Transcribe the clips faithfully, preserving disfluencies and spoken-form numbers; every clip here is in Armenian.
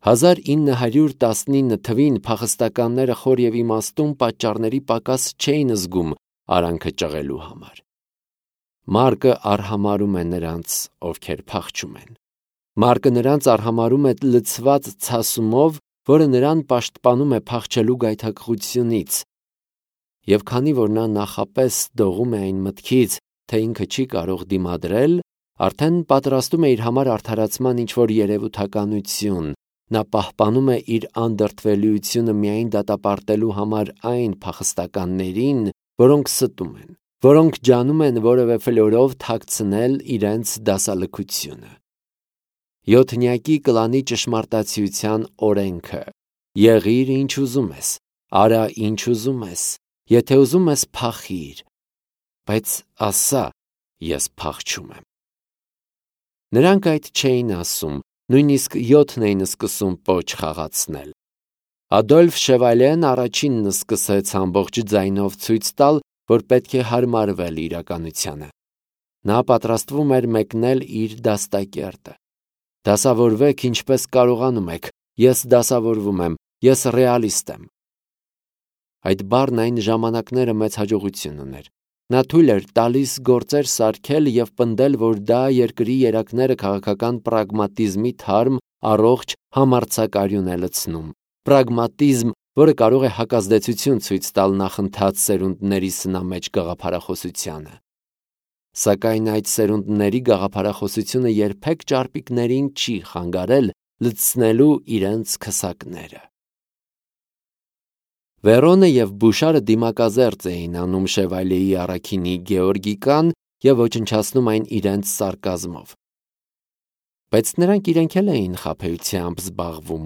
հազար ինը հարյուր տասնինը թվին փախստականները խոր և իմաստուն պատճառների պակաս չէին զգում արանքը ճղելու համար։ Մարկը արհամարում է նրանց, ովքեր փախչում են։ Մարկը նրանց արհամարում է լցված ցասումով, որը նրան պաշտպանում է փախչելու գայթակղությունից։ Եվ քանի որ նա նախապես դողում է այն մտքից, թե ինքը չի կարող դիմադրել, արդեն պատրաստում է իր համար արդարացման ինչ-որ երևութականություն, նա պահպանում է իր անդրդվելիությունը միայն դատապարտելու համար այն փախստականներին, որոնք ստում են, որոնք ջանում են որևէ ֆլորով թաքցնել իրենց դասալքությունը։ Յոթնյակի կլանի ճշմարտացիության օրենքը. եղիր ինչ ուզում ես, արա ինչ ուզում ես, եթե ուզում ես փախիր, բայց ասա, ես փախչում եմ։ Նրանք այդ չէին ասում, նույնիսկ յոթն էին սկսում պոչ խաղացնել։ Ադոլֆ Շևալեն առաջինն սկսեց ամբողջ ձայնով ցույց տալ, որ պետք է հարմարվել իրականությանը։ Նա պատրաստվում էր մեկնել իր դաստակերտը։ Դասավորվեք ինչպես կարողանում եք, ես դասավորվում եմ, ես ռեալիստ եմ։ Այդ բառն այն ժամանակները մեծ հաջողություն ուներ։ Նա թույլ էր տալիս գործեր սարքել և պնդել, որ դա երկրի երակները քաղաքական պրագմատիզմի թարմ, առողջ համարձակարյուն է լցնում, պրագմատիզմ, որը կարող է հակազդեցություն ցույց տալ նախընթաց սերունդների սնամեջ գաղափարախոսությանը։ Սակայն այդ սերունդների գաղափարախոսությունը երբեք ճարպիկներին չի խանգարել լցնելու իրենց քսակները։ Վերոնը և Բուշարը դիմակազերծ էին անում Շևալիեի առաքինի գեորգիկան և ոչնչացնում այն իրենց սարկազմով։ Բայց նրանք իրենք էլ էին խաբեությամբ զբաղվում։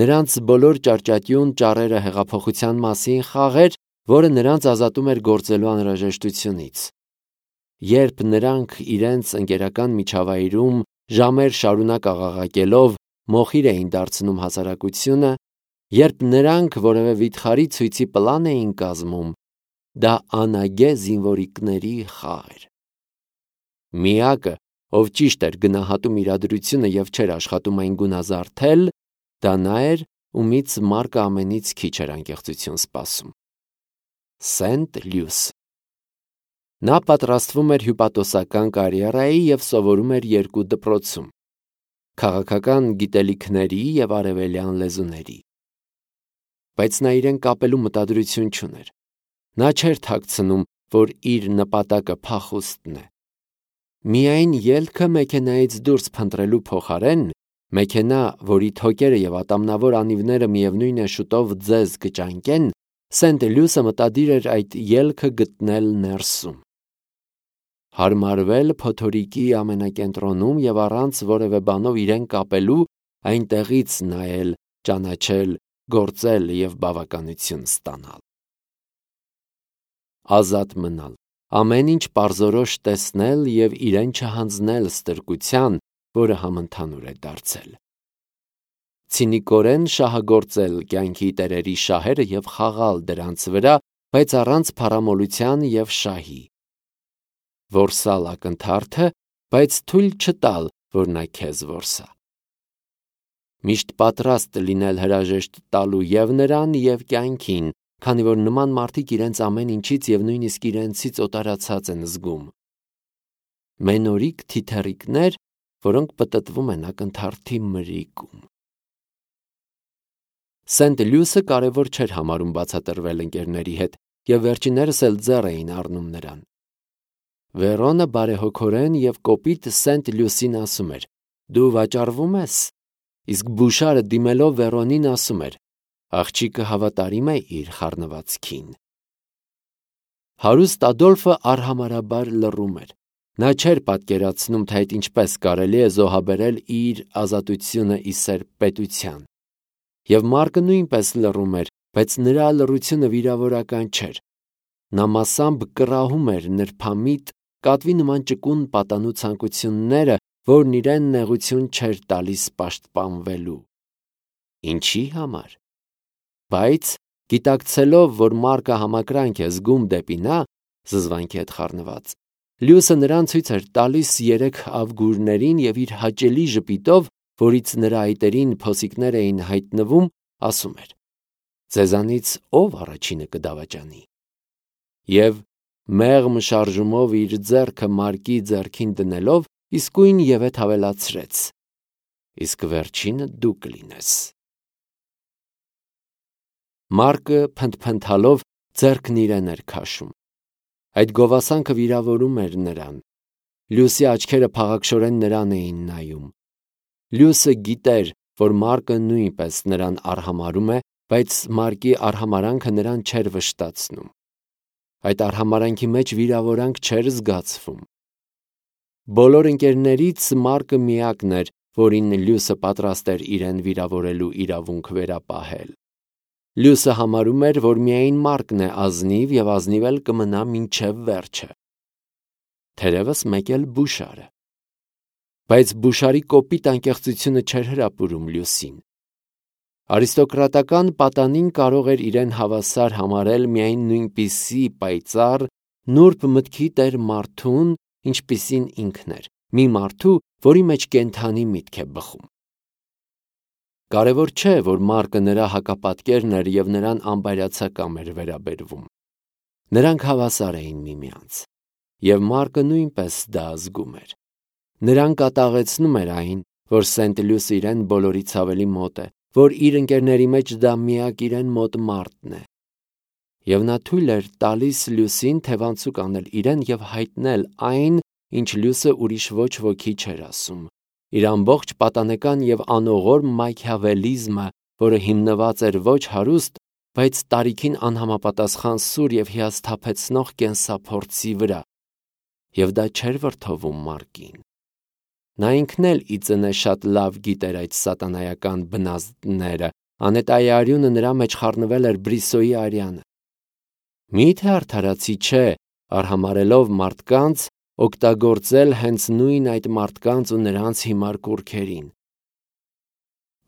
Նրանց բոլոր ճարճատյուն ճառերը հեղափոխության մասին խաղեր, որը նրանց ազատում էր գործելու անհրաժեշտությունից։ Երբ նրանք իրենց ընկերական միջավայրում ժամեր շարունակ աղաղակելով մոխիր էին դարձնում հասարակությունը, երբ նրանք որևէ վիթխարի ցույցի պլան էին կազմում, դա անագե զինվորիկների խաղ էր։ Միակը, ով ճիշտ էր գնահատում իրադրությունը և չէր աշխատում այն գունազարդել, դա նա էր, ումից Մարկը ամենից քիչ էր անկեղծություն սպասում։ Սենտ Լյուսը։ Նա պատրաստվում էր հյուպատոսական կարիերայի և սովորում էր երկու դպրոցում՝ քաղաքական գիտելիքների և արևելյան լեզուների։ Բայց նա իրեն կապելու մտադրություն չուներ։ Նա չէր թաքցնում, որ իր նպատակը փախուստն է։ Միայն ելքը մեքենայից դուրս փնտրելու փոխարեն, մեքենա, որի թոկերը և ատամնավոր անիվները միևնույն է շուտով ձեզ կճանկեն, Սենտ Լյուսը մտադիր էր այդ ելքը գտնել ներսում։ Հարմարվել փոթորիկի ամենակենտրոնում և առանց որևէ բանով իրեն կապելու այնտեղից նայել, ճանաչել, գործել և բավականություն ստանալ։ Ազատ մնալ, ամեն ինչ պարզորոշ տեսնել և իրեն չհանձնել ստրկության, որը համընդհանուր է դարձել։ Ցինիկորեն շահագործել կյանքի տերերի շահերը և խաղալ դրանց վրա, բայց առանց փառամոլության և շահի։ Որսալ ակնթարթը, բայց թույլ չտալ, որ նա քեզ որսա։ Միշտ պատրաստ լինել հրաժեշտ տալու և նրան, և կյանքին, քանի որ նման մարդիկ իրենց ամեն ինչից և նույնիսկ իրենցից օտարացած են զգում։ Մենորիկ թիթեռիկներ, որոնք պտտվում են ակնթարթի մրիկում։ Սենտ Լյուսը կարևոր չէր համարում բացատրվել ընկերների հետ, և վերջիններս էլ ձեռ էին առնում նրան։ Վերոնը բարեհոգորեն և կոպիտ Սենտ Լյուսին ասում էր. «Դու վաճառվում ես», իսկ Բուշարը դիմելով Վերոնին ասում էր. «Աղջիկը հավատարիմ է իր խառնվածքին»։ Հարուստ Ադոլֆը արհամարհաբար լռում էր։ Նա չէր պատկերացնում, թե այդ ինչպես կարելի է զոհաբերել իր ազատությունը ի սերբ պետության։ Եվ Մարկը նույնպես լռում էր, բայց նրա լռությունը վիրավորական չէր։ Նա մասամբ կռահում էր նրբամիտ, կատվի նման ճկուն պատանու ցանկությունները, որն իրեն նեղություն չէր տալիս պաշտպանվելու։ Ինչի համար։ Բայց գիտակցելով, որ Մարկը համակրանք է զգում դեպի նա, զզվանքի հետ խառնված, Լյուսը նրան ցույց էր տալիս երեք ավգուրներին և իր հաճելի ժպիտով որից նրա այտերին փոսիկներ էին հայտնվում, ասում էր. «Ձեզանից ով առաջինը կդավաճանի»։ Եվ մեղմ շարժումով իր ձեռքը Մարկի ձեռքին դնելով իսկույն ևեթ ավելացրեց. «Իսկ վերջինը դու կլինես»։ Մարկը փնթփնթալով ձեռքն իրեն էր քաշում։ Այդ գովասանքը վիրավորում էր նրան։ Լյուսի աչքերը փաղաքշորեն նրան էին նայում։ Լյուսը գիտեր, որ Մարկը նույնպես նրան արհամարհում է, բայց Մարկի արհամարանքը նրան չէր վշտացնում։ Այդ արհամարանքի մեջ վիրավորանք չէր զգացվում։ Բոլոր ընկերներից Մարկը միակն էր, որին Լյուսը պատրաստ էր իրեն վիրավորելու իրավունք վերապահել։ Լյուսը համարում էր, որ միայն Մարկն է ազնիվ և ազնիվ էլ կմնա մինչև վերջը։ Թերևս մեկ էլ Բուշարը։ Բայց Բուշարի կոպիտ անկեղծությունը չէր հրապուրում Լյուսին։ Արիստոկրատական պատանին կարող էր իրեն հավասար համարել միայն նույնպիսի պայծառ, նուրբ մտքի տեր մարդուն, ինչպիսին ինքն էր, մի մարդու, որի մեջ կենդանի միտք է բխում։ Կարևոր չէ, որ Մարկը նրա հակապատկերն էր և նրան անբարյացակամ էր վերաբերվում։ Նրանք հավասար էին միմյանց, և Մարկը նույնպես դա զգում էր։ Նրան կատաղեցնում էր այն, որ Սենտ Լյուսը իրեն բոլորից ավելի մոտ է, որ իր ընկերների մեջ դա միակ իրեն մոտ մարդն է։ Եվ նա թույլ էր տալիս Լյուսին թևանցուկ անել իրեն և հայտնել այն, ինչ Լյուսը ուրիշ ոչ ոքի չէր ասում։ Իր ամբողջ պատանեկան և անողորմ մաքիավելիզմը, որը հիմնված էր ոչ հարուստ, բայց տարիքին անհամապատասխան սուր և հիասթափեցնող կենսափորձի վրա։ Եվ դա չէր վրդովում Մարկին։ Նա ինքն էլ ի ծնե շատ լավ գիտեր այդ սատանայական բնազդները, անետայի արյունը նրա մեջ խառնվել էր Բրիսոյի արյանը։ Մի՞թե արդարացի չէ, արհամարհելով մարդկանց, օգտագործել հենց նույն այդ մարդկանց ու նրանց հիմար կուռքերին։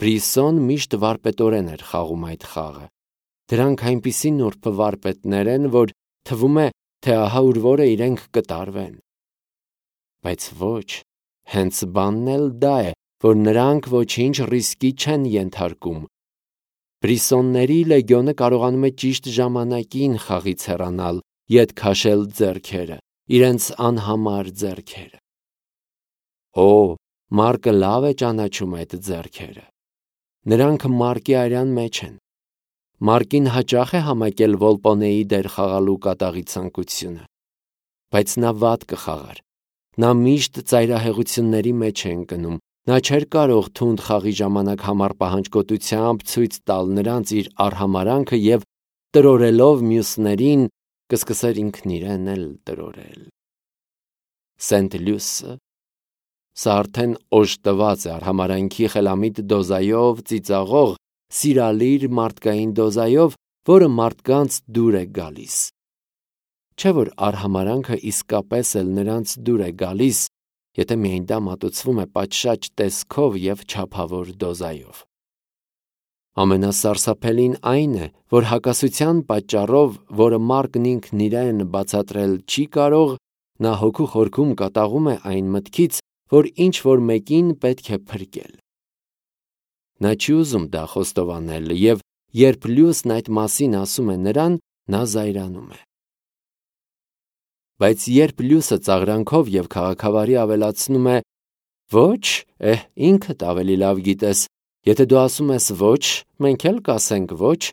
Բրիսոն միշտ վարպետորեն էր խաղում այդ խաղը։ Դրանք այնպիսի նուրբ վարպետներ են, որ թվում է, թե ահա ուր որը իրենք կտարվեն։ Բայց ոչ, հենց բանն էլ դա է, որ նրանք ոչինչ ռիսկի չեն ենթարկում։ Բրիսոնների լեգիոնը կարողանում է ճիշտ ժամանակին խաղից հեռանալ, ետ քաշել ձեռքերը, իրենց անհամար ձեռքերը։ Օ, Մարկը լավ է ճանաչում այդ ձեռքերը։ Նրանք Մարկի արյան մեջ են։ Մարկին հաճախ է համակել Վոլպոնեի դեր խաղալու կատաղի ցանկությունը։ Բայց նա վատ կխաղար։ Նա միշտ ծայրահեղությունների մեջ է ընկնում։ Նա չէր կարող թունդ խաղի ժամանակ համառ պահանջկոտությամբ ցույց տալ նրանց իր արհամարանքը և տրորելով մյուսներին, կսկսեր ինքն իրեն էլ տրորել։ Սենտ Լյուսը։ Սա արդեն օժտված է արհամարանքի խելամիտ դոզայով ծիծաղող, սիրալիր մարդկային դոզայով, որը մարդկանց դուր է գալիս։ Չէ՞ որ արհամարանքը իսկապես էլ նրանց դուր է գալիս, եթե միայն դա մատուցվում է պատշաճ տեսքով և չափավոր դոզայով։ Ամենասարսափելին այն է, որ հակասության պատճառով, որը Մարկն ինքն իրեն բացատրել չի կարող, նա հոգու խորքում կատաղում է այն մտքից, որ ինչ-որ մեկին պետք է փրկել։ Նա չի ուզում դա խոստովանել, և երբ Լյուսն այդ մասին ասում է նրան, նա զայրանում է։ Բայց երբ Լյուսը ծաղրանքով և քաղաքավարի ավելացնում է. «Ոչ, էհ, ինքդ ավելի լավ գիտես, եթե դու ասում ես ոչ, մենք էլ կասենք ոչ»,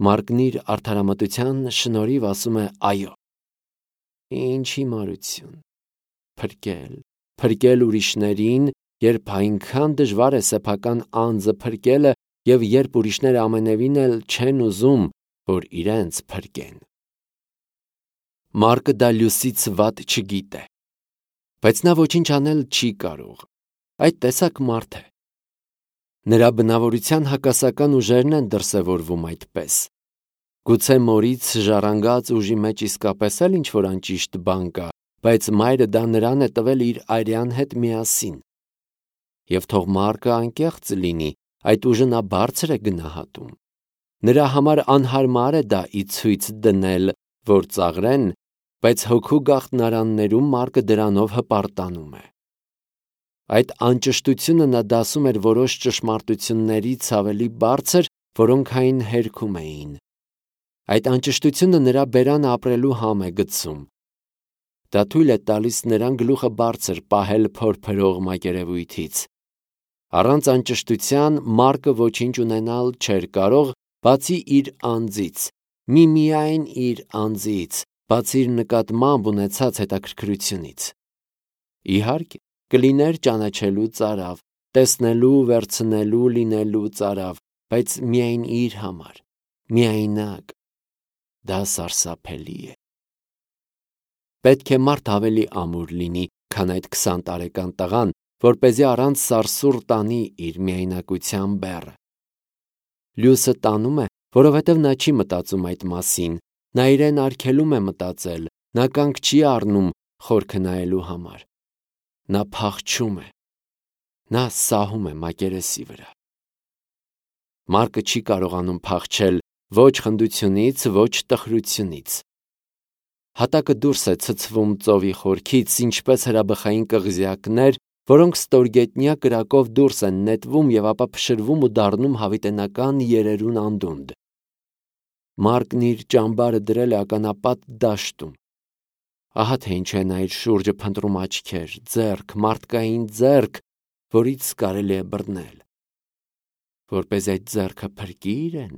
Մարկն իր արդարամտության շնորհիվ ասում է այո։ Ինչ հիմարություն։ Փրկել, փրկել ուրիշներին, երբ այնքան դժվար է սեփական անձը փրկելը և երբ ուրիշները ամենևին էլ չեն ուզում, որ իրենց փրկեն։ Մարկը դա Լյուսից վատ չգիտե։ Բայց նա ոչինչ անել չի կարող։ Այդ տեսակ մարդ է։ Նրա բնավորության հակասական ուժերն են դրսևորվում այդպես։ Գուցե մորից ժառանգած ուժի մեջ իսկապես էլ ինչ-որ անճիշտ բան կա, բայց մայրը դա նրան է տվել իր արյան հետ միասին։ Եվ թող Մարկը անկեղծ լինի, այդ ուժը նա բարձր է գնահատում։ Նրա համար անհարմար է դա ի ցույց դնել, որ ծաղրեն, բայց հոգու գաղտնարաններում Մարկը դրանով հպարտանում է։ Այդ անճշտությունը նա դասում էր որոշ ճշմարտություններից ավելի բարձր, որոնք այն հերքում էին։ Այդ անճշտությունը նրա բերանը ապրելու համ է գցում։ Դա թույլ է տալիս նրան գլուխը բարձր պահել փորփրող մակերևույթից։ Առանց անճշտության Մարկը ոչինչ ունենալ չէր կարող, բացի իր անձից, միմիայն իր անձից, բացի իր նկատմամբ ունեցած հետաքրքրությունից։ Իհարկե, կլիներ ճանաչելու ծարավ, տեսնելու, վերցնելու, լինելու ծարավ, բայց միայն իր համար, միայնակ։ Դա սարսափելի է։ Պետք է մարդ ավելի ամուր լինի, քան այդ քսան տարեկան տղան, որպեսզի առանց սարսուռ տանի իր միայնակության բեռը։ Լյուսը տանում է, որովհետև նա չի մտածում այդ մասին, նա իրեն արգելում է մտածել, նա կանգ չի առնում խորքը նայելու համար։ Նա փախչում է, նա սահում է մակերեսի վրա։ Մարկը չի կարողանում փախչել ոչ խնդությունից, ոչ տխրությունից։ Հատակը դուրս է ցցվում ծովի խորքից, ինչպես հրաբխային կղզյակներ, որոնք ստորգետնյա կրակով դուրս են նետվում և ապա փշրվում ու դառնում հավիտենական երերուն անդունդ։ Մարկն իր ճամբարը դրել է ականապատ դաշտում։ Ահա թե ինչ է նա իր շուրջը փնտրում աչքեր, ձեռք, մարդկային ձեռք, որից կարելի է բռնել։ Որպես այդ ձեռքը փրկի իրեն։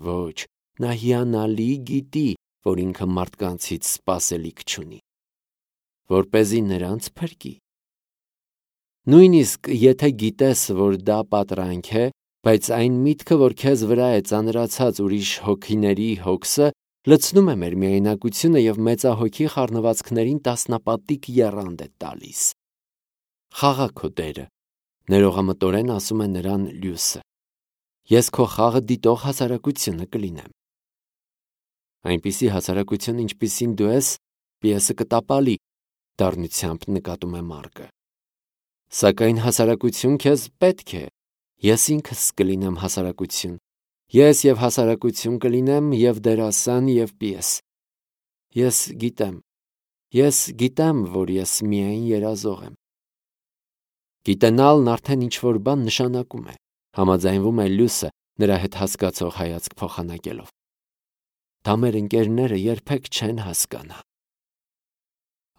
Ոչ, նա հիանալի գիտի, որ ինքը մարդկանցից սպասելիք չունի։ Որպեսզի նրանց փրկի։ Նույնիսկ եթե գիտես, որ դա պատրանք է, բայց այն միտքը, որ քեզ վրա է ծանրացած ուրիշ հոգիների հոգսը, լցնում է մեր միայնակությունը և մեծահոգի խառնվածքներին տասնապատիկ եռանդ է տալիս։ Խաղա քո դերը, ներողամտորեն ասում է նրան Լյուսը։ Ես քո խաղը դիտող հասարակությունը կլինեմ։ Այնպիսի հասարակություն, ինչպիսին դու ես, պիեսը կտապալի, դառնությամբ նկատում է Մարկը։ Սակայն հասարակություն քեզ պետք է, ես ինքս կլինեմ հասարակություն, ես և հասարակություն կլինեմ, և դերասան, և պիես։ Ես գիտեմ, ես գիտեմ, որ ես միայն երազող եմ։ Գիտենալն արդեն ինչ-որ բան նշանակում է, համաձայնվում է Լյուսը, նրա հետ հասկացող հայացք փոխանակելով։ Դա մեր ընկերները երբեք չեն հասկանա։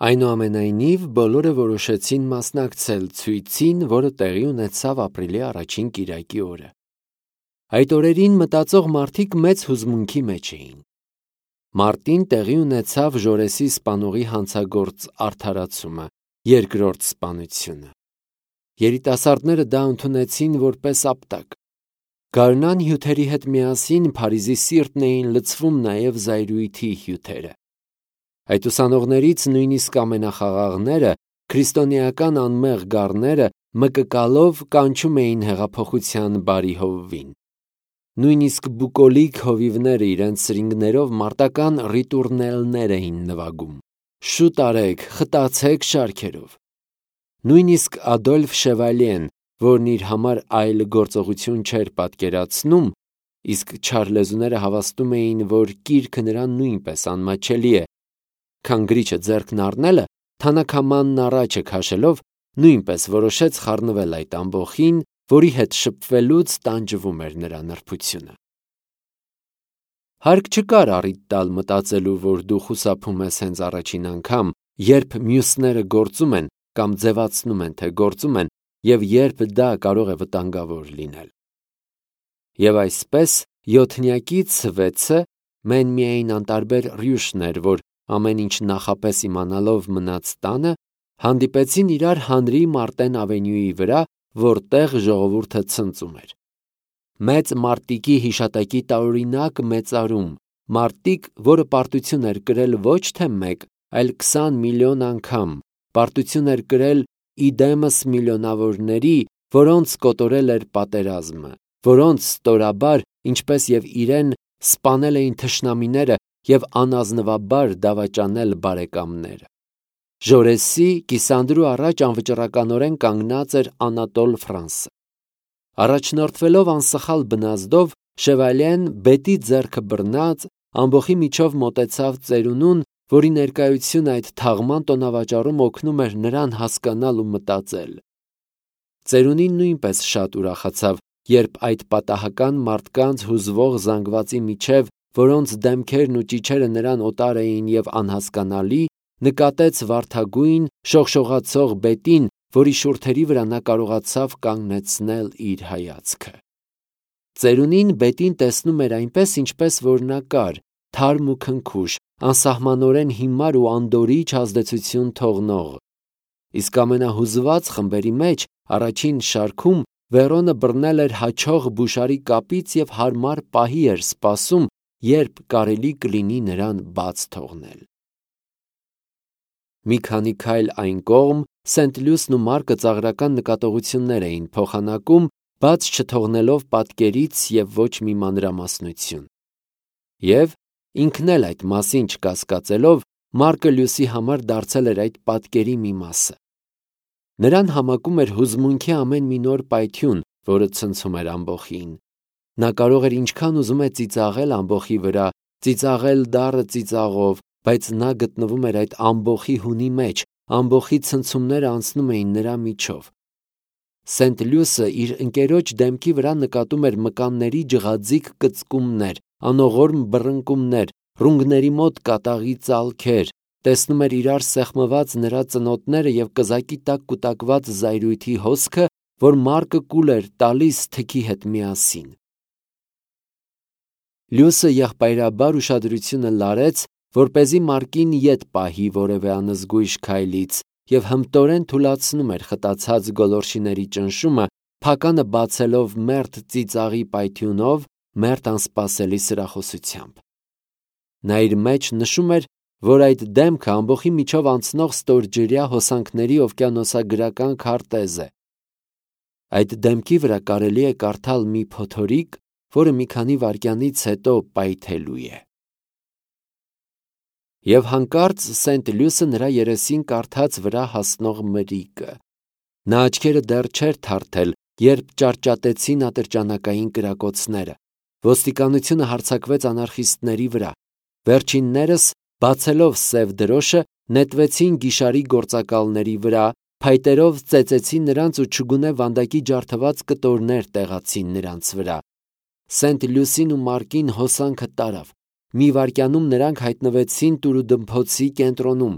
Այնուամենայնիվ, բոլորը որոշեցին մասնակցել ցույցին, որը տեղի ունեցավ ապրիլի առաջին կիրակի օրը։ Այդ օրերին մտածող մարդիկ մեծ հուզմունքի մեջ էին։ Մարտին տեղի ունեցավ Ժորեսի սպանողի հանցագործ արդարացումը, երկրորդ սպանությունը։ Երիտասարդները դա ընդունեցին որպես ապտակ։ Գարնան հյութերի հետ միասին Փարիզի սիրտն էին լցվում նաև զայրույթի հյութերը։ Այդ ուսանողներից նույնիսկ ամենախաղաղները, քրիստոնեական անմեղ գառները մկկալով կանչում էին հեղափոխության բարի հովվին։ Նույնիսկ բուկոլիկ հովիվները իրենց սրինգներով մարտական ռիտուրնելներ էին նվագում։ Շուտ արեք, խտացեք շարքերով։ Նույնիսկ Ադոլֆ Շևալյեն, որն իր համար այլ գործողություն չէր պատկերացնում, իսկ չարլեզուները հավաստում էին, որ կիրքը նրան նույնպես անմաչելի է, քան գրիչը ձեռքն առնելը, թանաքամանն առաջը քաշելով, նույնպես որոշեց խառնվել այդ ամբոխին, որի հետ շփվելուց տանջվում էր նրա նրբությունը։ Հարկ չկար առիթ տալ մտածելու, որ դու խուսափում ես հենց առաջին անգամ, երբ մյուսները գործում են կամ ձևացնում են, թե գործում են, և երբ դա կարող է վտանգավոր լինել։ Եվ այսպես, յոթնյակից վեցը մեն միայն անտարբեր Ռյուշն էր, որ ամեն ինչ նախապես իմանալով մնաց տանը, հանդիպեցին իրար Հանրի Մարտեն ավենյուի վրա, որտեղ ժողովուրդը ցնծում էր։ Մեծ մարտիկի հիշատակի տարօրինակ մեծարում, մարտիկ, որը պարտություն էր կրել ոչ թե մեկ, այլ քսան միլիոն անգամ, պարտություն էր կրել իդեմս միլիոնավորների, որոնց կոտորել էր պատերազմը, որոնց ստորաբար, ինչպես և իրեն, սպանել էին թշնամիները և անազնվաբար դավաճանել բարեկամները։ Ժորեսի կիսանդրու առաջ անվճռականորեն կանգնած էր Անատոլ Ֆրանսը։ Առաջնորդվելով անսխալ բնազդով, Շևալյեն բետի ձեռքը բռնած, ամբոխի միջով մոտեցավ ծերունուն, որի ներկայությունը այդ թաղման տոնավաճառում օգնում էր նրան հասկանալ ու մտածել։ Ծերունին նույնպես շատ ուրախացավ, երբ այդ պատահական մարդկանց հուզվող զանգվածի միջև, որոնց դեմքերն ու ճիչերը նրան օտար էին և անհասկանալի, նկատեց վարդագույն, շողշողացող բետին, որի շուրթերի վրա նա կարողացավ կանգնեցնել իր հայացքը։ Ծերունին բետին տեսնում էր այնպես, ինչպես որ նա կար, թարմ ու քնքուշ, անսահմանորեն հիմար ու անդորիչ ազդեցություն թողնող։ Իսկ ամենահուզված խմբերի մեջ առաջին շարքում Վերոնը բռնել էր հաչող բուշարի կապից և հարմար պահի էր սպասում, երբ կարելի կլինի նրան բաց թողնել։ Մի քանի քայլ այն կողմ Սենտ-Լյուսն ու Մարկը ծաղրական նկատողություններ էին փոխանակում, բաց չթողնելով պատկերից և ոչ մի մանրամասնություն։ Եվ, ինքն էլ այդ մասին չկասկածելով, Մարկը Լյուսի համար դարձել էր այդ պատկերի մի մասը։ Նրան համակում էր հուզմունքի ամեն մի նոր պայթյուն, որը ցնցում էր ամբոխին։ Նա կարող էր ինչքան ուզում է ծիծաղել ամբոխի վրա, ծիծաղել դառը ծիծաղով, բայց նա գտնվում էր այդ ամբոխի հունի մեջ, ամբոխի ցնցումները անցնում էին նրա միջով։ Սենտ-Լյուսը իր ընկերոջ դեմքի վրա նկատում էր մկանների ջղաձիգ կծկումներ, անողորմ բռնկումներ, ռունգների մոտ կատաղի ծալքեր, տեսնում էր իրար սեղմված նրա ծնոտները և կզակի տակ կուտակված զայրույթի հոսքը, որ Մարկը կուլ էր տալիս թքի հետ միասին։ Լյուսը եղբայրաբար ուշադրությունը լարեց, որպեսզի Մարկին ետ պահի որևէ անզգույշ քայլից, և հմտորեն թուլացնում էր խտացած գոլորշիների ճնշումը, փականը բացելով մերթ ծիծաղի պայթյունով, մերթ անսպասելի սրախոսությամբ։ Նա իր մեջ նշում էր, որ այդ դեմքը ամբոխի միջով անցնող ստորջրյա հոսանքների օվկիանոսագրական քարտեզ է։ Այդ դեմքի վրա կարելի է կարդալ մի փոթորիկ, որը մի քանի վայրկյանից հետո պայթելու է։ Եվ հանկարծ Սենտ-Լյուսը նրա երեսին կարդաց վրա հասնող մրրիկը։ Նա աչքերը դեռ չէր թարթել, երբ ճարճատեցին ատրճանակային կրակոցները։ Ոստիկանությունը հարձակվեց անարխիստների վրա։ Վերջիններս, բացելով սև դրոշը, նետվեցին գիշարի գործակալների վրա, փայտերով ծեծեցին նրանց ու չգունե վանդակի ջարդված կտորներ տեղացին նրանց վրա։ Սենտ-Լյուսին ու Մարկին հոսանքը տարավ։ Մի վայրկյանում նրանք հայտնվեցին տուրուդմփոցի կենտրոնում։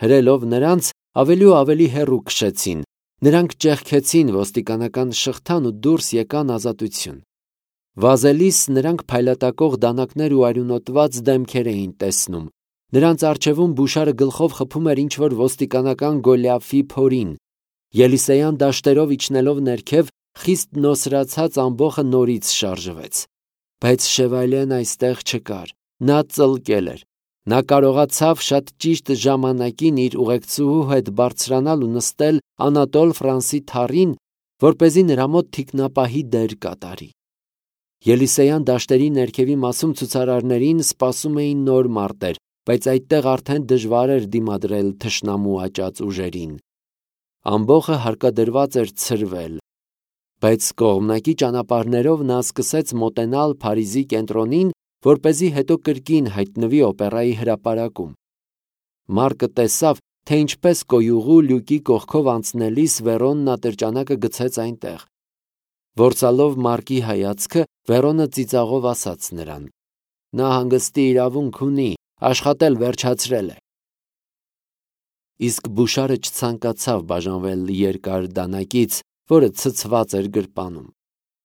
Հրելով նրանց, ավելի ու ավելի հեռու քշեցին։ Նրանք ճեղքեցին ոստիկանական շղթան ու դուրս եկան ազատություն։ Վազելիս նրանք փայլատակող դանակներ ու արյունոտված դեմքեր էին տեսնում։ Նրանց առջևում բուշարը գլխով խփում էր ինչ-որ ոստիկանական Գոլիաֆի փորին։ Ելիսեյան դաշտերով իջնելով ներքև, խիստ նոսրացած ամբոխը նորից շարժվեց։ Բայց Շևալյեն այստեղ չկար։ Նա ծլկել էր։ Նա կարողացավ շատ ճիշտ ժամանակին իր ուղեկցուհու հետ բարձրանալ ու նստել Անատոլ Ֆրանսի թառին, որպեսզի նրա մոտ թիկնապահի դեր կատարի։ Ելիսեյան դաշտերի ներքևի մասում ցուցարարներին սպասում էին նոր մարտեր, բայց այդտեղ արդեն դժվար էր դիմադրել թշնամու աճած ուժերին։ Ամբոխը հարկադրված էր ցրվել, բայց կողմնակի ճանապարհներով նա սկսեց մոտենալ Փարիզի կենտրոնին, որպեսզի հետո կրկին հայտնվի օպերայի հրապարակում։ Մարկը տեսավ, թե ինչպես կոյուղու լյուկի կողքով անցնելիս Վերոնն ատրճանակը գցեց այնտեղ։ Որսալով Մարկի հայացքը, Վերոնը ծիծաղով ասաց նրան. «Նա հանգստի իրավունք ունի, աշխատել վերջացրել է»։ Իսկ բուշարը չցանկացավ բաժանվել երկար դանակից, որը ցցված էր գրպանում։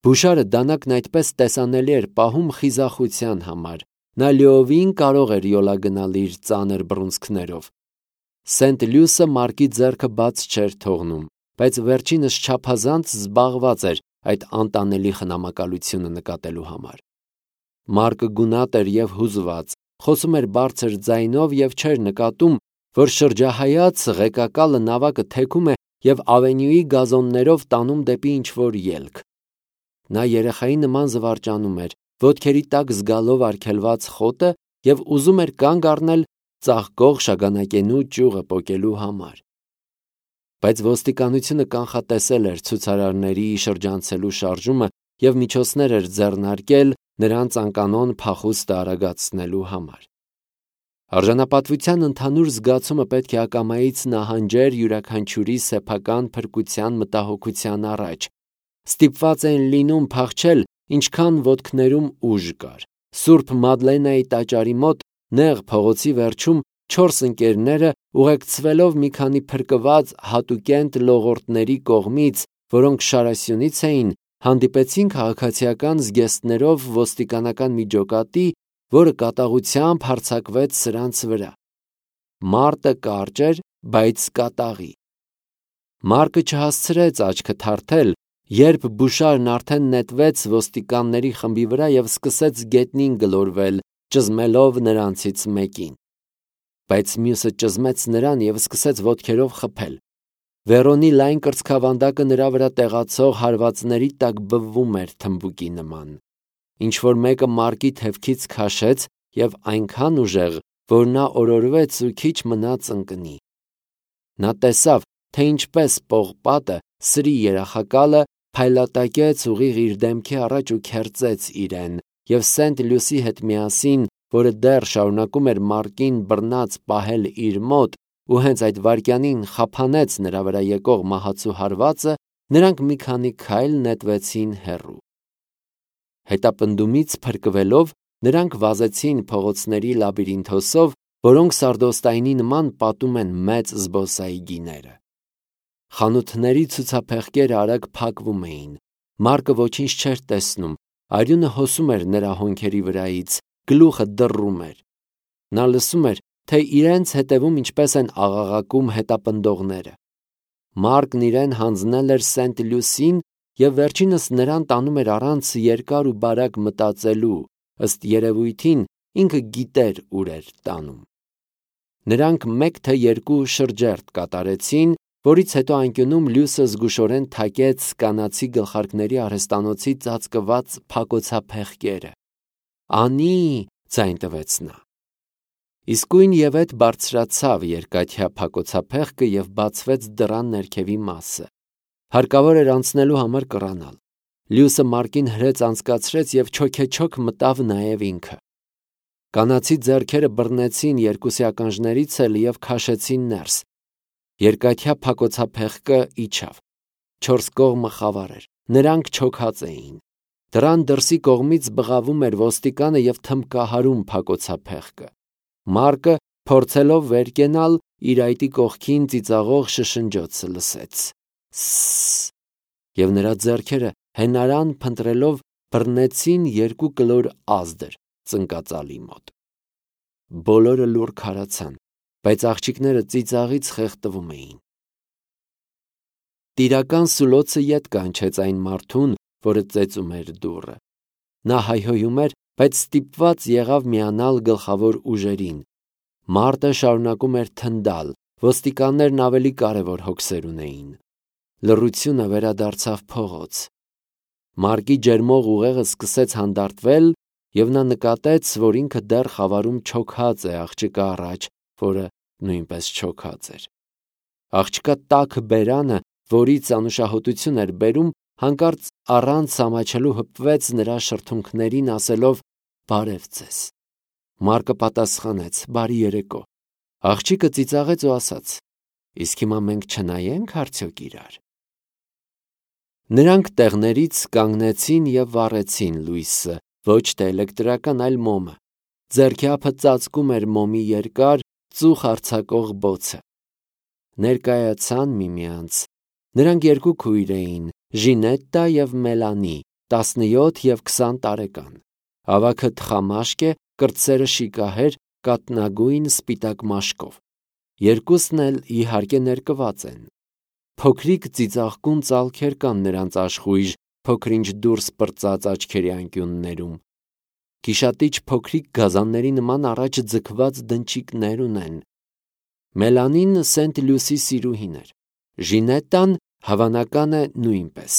Բուշարը դանակն այդպես տեսանելի էր պահում խիզախության համար։ Նա լիովին կարող էր յոլա գնալ իր ծանր բռունցքներով։ Սենտ-Լյուսը Մարկի ձեռքը բաց չէր թողնում, բայց վերջինս չափազանց զբաղված էր այդ անտանելի խնամակալությունը նկատելու համար։ Մարկը գունատ էր և հուզված, խոսում էր բարձր ձայնով և չէր նկատում, որ շրջահայաց ղեկակալը նավակը թեքում է և ավենյուի գազոններով տանում դեպի ինչ-որ ելք։ Նա երեխայի նման զվարճանում էր, ոտքերի տակ զգալով արգելված խոտը և ուզում էր կանգ առնել ծաղկող շագանակենու ճյուղը պոկելու համար։ Բայց ոստիկանությունը կանխատեսել էր ցուցարարների շրջանցելու շարժումը և միջոցներ էր ձեռնարկել նրանց անկանոն փախուստը արագացնելու համար։ Արժանապատվության ընդհանուր զգացումը պետք է ակամայից նահանջեր յուրաքանչյուրի սեփական փրկության մտահոգության առաջ։ Ստիպված էին լինում փախչել, ինչքան ոտքներում ուժ կար։ Սուրբ Մադլենայի տաճարի մոտ նեղ փողոցի վերջում չորս ընկերները, ուղեկցվելով մի քանի փրկված հատուկենտ լողորդների կողմից, որոնք շարասյունից էին, հանդիպեցին քաղաքացիական զգեստներով ոստիկանական մի ջոկատի, որը կատաղությամբ հարձակվեց սրանց վրա։ Մարտը կարճ էր, բայց կատաղի։ Մարկը չհասցրեց աչքը թարթել, երբ բուշարն արդեն նետվեց ոստիկանների խմբի վրա և սկսեց գետնին գլորվել, ճզմելով նրանցից մեկին։ Բայց մյուսը ճզմեց նրան և սկսեց ոտքերով խփել։ Վերոնի լայն կրծքավանդակը նրա վրա տեղացող հարվածների տակ բվում էր թմբուկի նման։ Ինչ-որ մեկը Մարկի թևքից քաշեց և այնքան ուժեղ, որ նա օրորվեց ու քիչ մնաց ընկնի։ Նա տեսավ, թե ինչպես պողպատը, սրի երախակալը, փայլատակեց ուղիղ իր դեմքի առաջ ու քերծեց իրեն, և Սենտ Լյուսի հետ միասին, որը դեռ շարունակում էր Մարկին բռնած պահել իր մոտ ու հենց այդ վայրկյանին խափանեց նրա վրա եկող մահացու հարվածը, նրանք մի քանի քայլ նետվեցին հեռու։ Հետապնդումից փրկվելով, նրանք վազեցին փողոցների լաբիրինթոսով, որոնք սարդոստայնի նման պատում են մեծ զբոսայգիները։ Խանութների ցուցափեղկերը արագ փակվում էին։ Մարկը ոչինչ չէր տեսնում, արյունը հոսում էր նրա հոնքերի վրայից, գլուխը դռռում էր։ Նա լսում էր, թե իրենց հետևում ինչպես են աղաղակում հետապնդողները։ Մարկն իրեն հանձնել էր Սենտ Լյուսին և վերջինս նրան տանում էր առանց երկար ու բարակ մտածելու, ըստ երևույթին ինքը գիտեր ուր էր տանում։ Նրանք մեկ թե երկու շրջերտ կատարեցին, որից հետո անկյունում լույսը զգուշորեն թակեց կանացի գլխարկների արհեստանոցի ծածկված փակոցափեղկերը։ «Անի՜» ձայն տվեց նա։ Իսկույն ևեթ բարձրացավ երկաթյա փակոցափեղկը և բացվեց դռան ներքևի մասը։ Հարկավոր էր անցնելու համար կռանալ։ Լյուսը Մարկին հրեց անցկացրեց և չոքեչոք մտավ նաև ինքը։ Կանացի ձեռքերը բռնեցին երկուսի ականջներից էլ և քաշեցին ներս։ Երկաթյա փակոցափեղկը իջավ։ Չորս կողմը խավար էր, նրանք չոքած էին։ Դռան դրսի կողմից բղավում էր ոստիկանը և թմբկահարում փակոցափեղկը։ Մարկը, փորձելով վեր կենալ, իր այտի կողքին ծիծաղող շշնջոցը լսեց. «Սսս», և նրա ձեռքերը հենարան փնտրելով բռնեցին երկու կլոր ազդր ծնկածալի մոտ։ Բոլորը լուռ քարացան, բայց աղջիկները ծիծաղից խեղդվում էին։ Տիրական սուլոցը ետ կանչեց այն մարդուն, որը ծեծում էր դուռը։ Նա հայհոյում էր, բայց ստիպված եղավ միանալ գլխավոր ուժերին։ Մարտը շարունակում էր թնդալ, ոստիկաններն ավելի կարևոր հոգսեր ունեին։ Լռությունը վերադարձավ փողոց։ Մարկի ջերմող ուղեղը սկսեց հանդարտվել, և նա նկատեց, որ ինքը դեռ խավարում չոքած է աղջկա առաջ, որը նույնպես չոքած էր։ Աղջկա տաք բերանը, որից անուշահոտություն էր բերում, հանկարծ առանց ամաչելու հպվեց նրա շրթունքներին, ասելով. «Բարև ձեզ»։ Մարկը պատասխանեց. «Բարի երեկո»։ Աղջիկը ծիծաղեց ու ասաց. «Իսկ հիմա մենք չնայե՞նք արդյոք իրար»։ Նրանք տեղներից կանգնեցին և վառեցին լույսը, ոչ թե էլեկտրական, այլ մոմը։ Ձեռքի ափը ծածկում էր մոմի երկար, ծուխ արձակող բոցը։ Ներկայացան միմյանց։ Նրանք երկու քույր էին՝ Ժինետտա և Մելանի, տասնյոթ և քսան տարեկան։ Ավագը թխամաշկ է, կրտսերը շիկահեր, կաթնագույն սպիտակ մաշկով։ Երկուսն էլ, իհարկե, ներկված են։ Փոքրիկ ծիծաղկուն ծալքեր կան նրանց աշխույժ, փոքր-ինչ դուրս պրծած աչքերի անկյուններում։ Գիշատիչ փոքրիկ գազանների նման առաջ ձգված դնչիկներ ունեն։ Մելանին Սենտ Լյուսի սիրուհին էր։ Ժինետտան, հավանական է, նույնպես։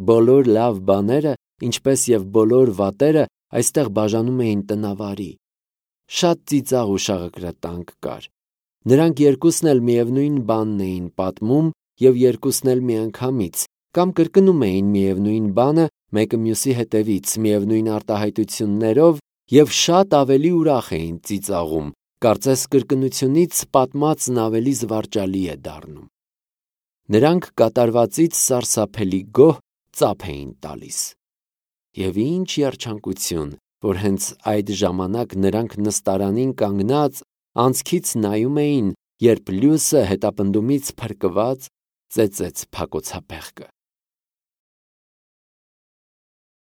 Բոլոր լավ բաները, ինչպես և բոլոր վատերը, այստեղ բաժանում էին տնավարի։ Շատ ծիծաղ ու շաղակրատանք կար։ Նրանք երկուսն էլ միևնույն բանն էին պատմում և երկուսն էլ միանգամից, կամ կրկնում էին միևնույն բանը մեկը մյուսի հետևից, միևնույն արտահայտություններով և շատ ավելի ուրախ էին ծիծաղում, Կարծես կրկնությունից պատմածն ավելի զվարճալի է դառնում։ Նրանք կատարվածից սարսափելի գոհ ծափ էին տալիս։ Եվ ինչ երջանկություն, որ հենց այդ ժամանակ նրանք նստարանին կանգնած անցքից նայում էին, երբ լույսը հետապնդումից փրկված ծեծեց փակոցափեղկը։